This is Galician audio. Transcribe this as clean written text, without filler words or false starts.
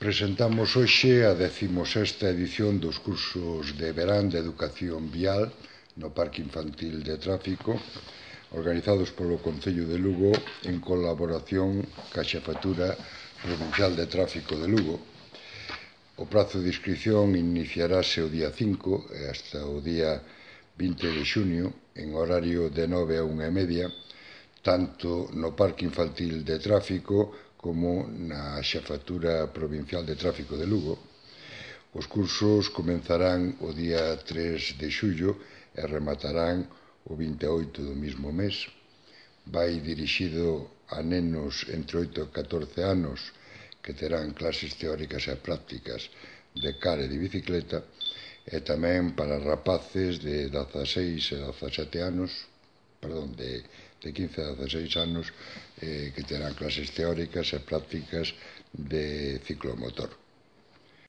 Presentamos hoxe a 16ª edición dos cursos de verán de Educación Vial no Parque Infantil de Tráfico, organizados polo Concello de Lugo en colaboración ca Xefatura Provincial de Tráfico de Lugo. O prazo de inscripción iniciarase o día 5 e hasta o día 20 de xunio en horario de 9 a 1:30, tanto no Parque Infantil de Tráfico como na Xefatura Provincial de Tráfico de Lugo. Os cursos comenzarán o día 3 de xullo e rematarán o 28 do mesmo mes. Vai dirixido a nenos entre 8 e 14 anos que terán clases teóricas e prácticas de car e de bicicleta, e tamén para rapaces de 16 e 17 anos, de 15 a 16 anos, que terán clases teóricas e prácticas de ciclomotor.